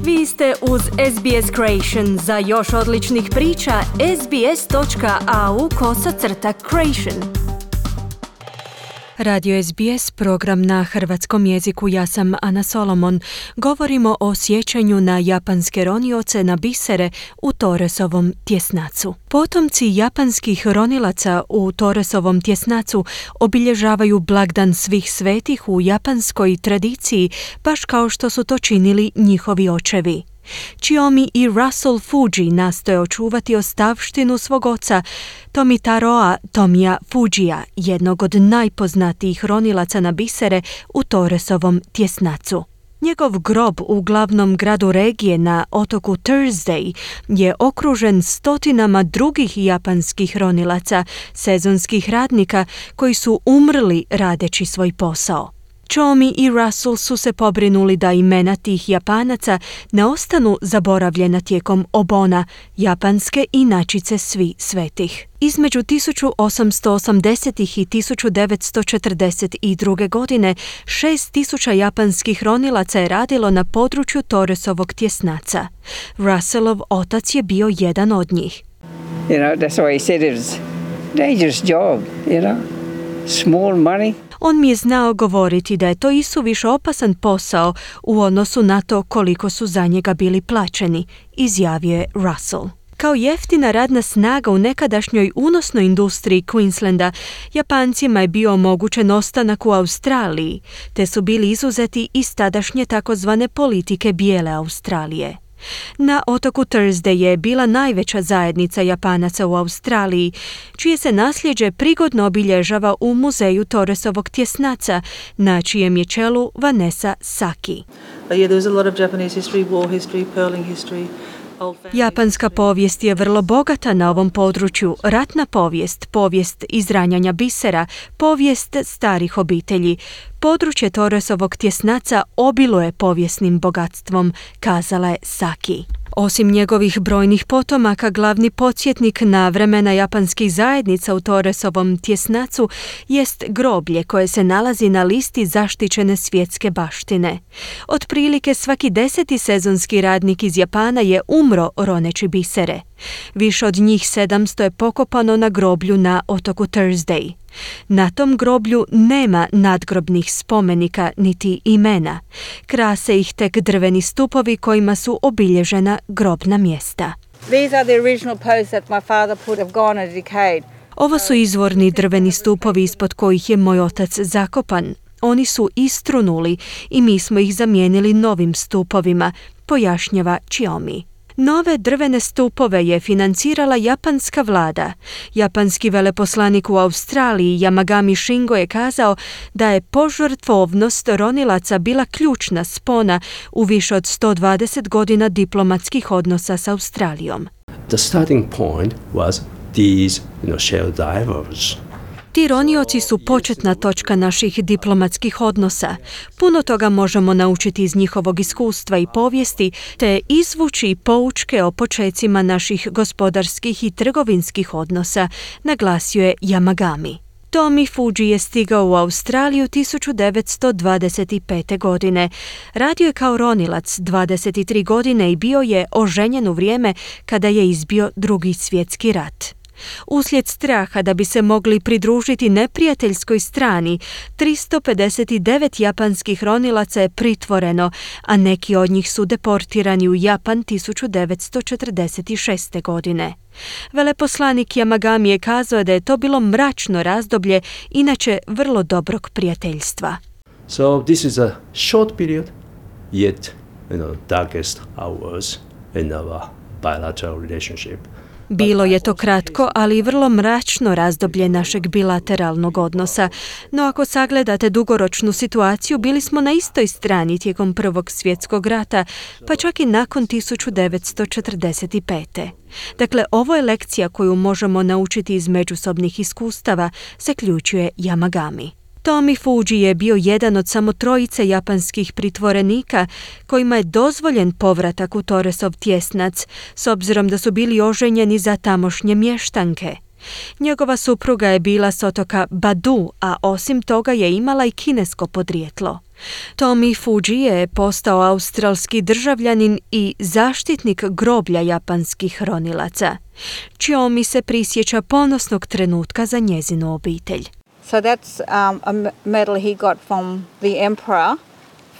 Vi ste uz SBS Creation. Za još odličnih priča, sbs.au/creation. Radio SBS, program na hrvatskom jeziku. Ja sam Ana Solomon. Govorimo o sjećanju na japanske ronioce na bisere u Torresovom tjesnacu. Potomci japanskih ronilaca u Torresovom tjesnacu obilježavaju blagdan svih svetih u japanskoj tradiciji, baš kao što su to činili njihovi očevi. Chiyomi i Russell Fuji nastoje očuvati ostavštinu svog oca Tomitaroa Tomiya Fujia, jednog od najpoznatijih ronilaca na bisere u Torresovom tjesnacu. Njegov grob u glavnom gradu regije na otoku Thursday je okružen stotinama drugih japanskih ronilaca, sezonskih radnika koji su umrli radeći svoj posao. Chiyomi i Russell su se pobrinuli da imena tih Japanaca ne ostanu zaboravljena tijekom obona, japanske inačice svi svetih. Između 1880. i 1942. godine 6.000 japanskih ronilaca je radilo na području Torresovog tjesnaca. Russellov otac je bio jedan od njih. That's why he said it was a dangerous job, small money. On mi je znao govoriti da je to isuviše opasan posao u odnosu na to koliko su za njega bili plaćeni, izjavio je Russell. Kao jeftina radna snaga u nekadašnjoj unosnoj industriji Queenslanda, Japancima je bio omogućen ostanak u Australiji, te su bili izuzeti iz tadašnje takozvane politike bijele Australije. Na otoku Thursday je bila najveća zajednica Japanaca u Australiji, čije se nasljeđe prigodno obilježava u muzeju Torresovog tjesnaca, na čijem je čelu Vanessa Saki. Japanska povijest je vrlo bogata na ovom području. Ratna povijest, povijest izranjanja bisera, povijest starih obitelji. Područje Torresovog tjesnaca obiluje povijesnim bogatstvom, kazala je Saki. Osim njegovih brojnih potomaka, glavni podsjetnik na vremena japanskih zajednica u Torresovom tjesnacu jest groblje koje se nalazi na listi zaštićene svjetske baštine. Otprilike svaki 10. sezonski radnik iz Japana je umro roneći bisere. Više od njih 700 je pokopano na groblju na otoku Thursday. Na tom groblju nema nadgrobnih spomenika niti imena. Krase ih tek drveni stupovi kojima su obilježena grobna mjesta. Ovo su izvorni drveni stupovi ispod kojih je moj otac zakopan. Oni su istrunuli i mi smo ih zamijenili novim stupovima, pojašnjava Chiyomi. Nove drvene stupove je financirala japanska vlada. Japanski veleposlanik u Australiji Yamagami Shingo je kazao da je požrtvovnost ronilaca bila ključna spona u više od 120 godina diplomatskih odnosa s Australijom. The starting point was these, shell divers. Ti ronioci su početna točka naših diplomatskih odnosa. Puno toga možemo naučiti iz njihovog iskustva i povijesti, te izvući poučke o počecima naših gospodarskih i trgovinskih odnosa, naglasio je Yamagami. Tomi Fuji je stigao u Australiju 1925. godine. Radio je kao ronilac 23 godine i bio je oženjen u vrijeme kada je izbio Drugi svjetski rat. Uslijed straha da bi se mogli pridružiti neprijateljskoj strani, 359 japanskih ronilaca je pritvoreno, a neki od njih su deportirani u Japan 1946. godine. Veleposlanik Yamagami je kazao da je to bilo mračno razdoblje, inače vrlo dobrog prijateljstva. So this is a short period, yet darkest hours in our bilateral relationship. Bilo je to kratko, ali i vrlo mračno razdoblje našeg bilateralnog odnosa, no ako sagledate dugoročnu situaciju, bili smo na istoj strani tijekom Prvog svjetskog rata, pa čak i nakon 1945. Dakle, ovo je lekcija koju možemo naučiti iz međusobnih iskustava, zaključuje Yamagami. Tomi Fuji je bio jedan od samo 3 japanskih pritvorenika kojima je dozvoljen povratak u Torresov tjesnac, s obzirom da su bili oženjeni za tamošnje mještanke. Njegova supruga je bila s otoka Badu, a osim toga je imala i kinesko podrijetlo. Tomi Fuji je postao australski državljanin i zaštitnik groblja japanskih ronilaca. Chiomi se prisjeća ponosnog trenutka za njezinu obitelj. So that's a medal he got from the emperor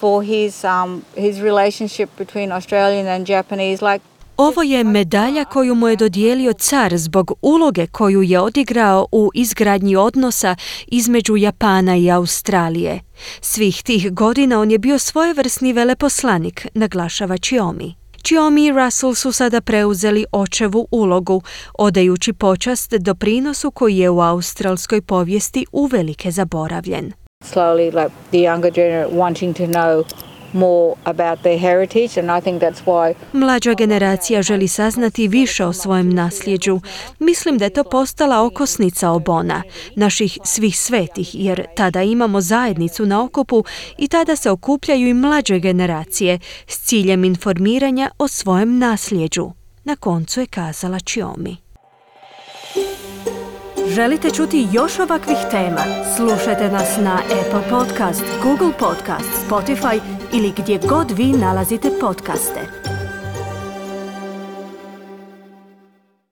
for his relationship between Australian and Japanese. Ovo je medalja koju mu je dodijelio car zbog uloge koju je odigrao u izgradnji odnosa između Japana i Australije. Svih tih godina on je bio svojevrsni veleposlanik, naglašava Chiomi. Chiomi i Russell su sada preuzeli očevu ulogu, odajući počast doprinosu koji je u australskoj povijesti uvelike zaboravljen. Slowly, like the younger generation wanting to know more about their heritage, and I think that's why. Mlađa generacija želi saznati više o svojem nasljeđu. Mislim da je to postala okosnica Obona, naših svih svetih, jer tada imamo zajednicu na okupu i tada se okupljaju i mlađe generacije s ciljem informiranja o svojem nasljeđu. Na koncu je kazala Chiomi. Želite čuti još ovakvih tema? Slušajte nas na Apple Podcast, Google Podcast, Spotify ili gdje god vi nalazite podcaste.